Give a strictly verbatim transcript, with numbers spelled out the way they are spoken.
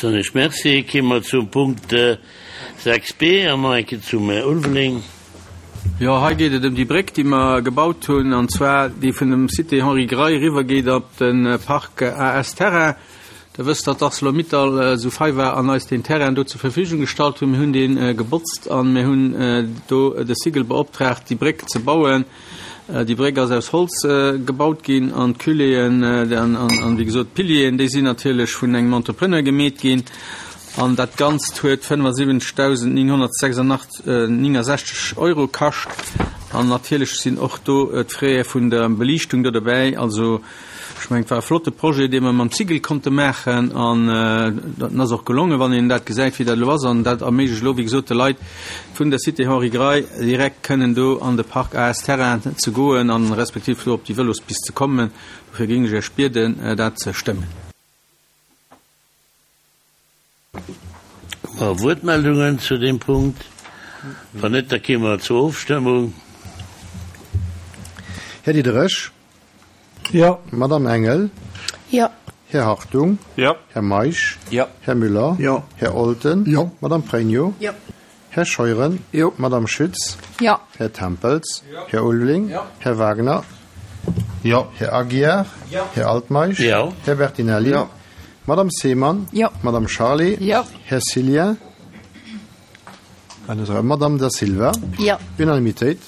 Soen ech Merci. Ki mer zum Punkt sechs B an nach eng Kéier zum Här Ulveling. Jo, hei geet et ëm déi Bréck, déi mer gebaut hunn, an zwar déi vun dem Cité Henri Grey eriwwergeet op de Parc A S Terrain. Der wësst, datt ArcelorMittal esou fei war an eis deen Terrain do zur Verfügung gestallt hunn. Mir hunn dee gebotzt a mir hunn do de Sigel beoptraagt, déi Bréck ze bauen. Déi Bréck ass aus Holz gebaut ginn an d'Culéeën an, wéi gesot, d'Pilieren, déi sinn natierlech vun engem Entrepreneur gemeet ginn. An dat Ganzt huet fënnefasiwwenzegdausendnénghonnertsechsundnéngundsechzeg Euro kascht. An natierlech sinn och do d'Fraie vun der Beliichtung do dobäi. Also ech mengen, et war e flotte Projet, dee mer mam Sigel konnte maachen, an dat ass och gelongen, wann een dat gesäit, wéi dat elo ass. An dat erméiglecht elo, wéi gesot, de Leit vun der Cité Henri Grey direkt kënnen do an de Park A S Terrain ze goen an respektiv do op déi Vëlospist ze kommen. Dofir géing ech Iech bieden, dat ze stëmmen. Wuertmeldungen zu deem Punkt? Wann net, da gi mer zur Ofstëmmung. Här Diderich? Jo. Madame Engel? Jo. Här Hartung? Jo. Här Meisch? Jo. Här Müller? Jo. Här Olten? Jo. Madame Pregno? Jo. Här Scheuren? Jo. Madame Schütz? Jo. Här Tempels? Här Ulveling? Jo. Här Wagner? Jo. Här Aguiar? Jo. Här Altmeisch? Jo. Här Bertinelli? Jo. Madame Seemann? Jo. Madame Charlé? Jo. Här Cillien? Madame Da Silva? Jo. Unanimitéit.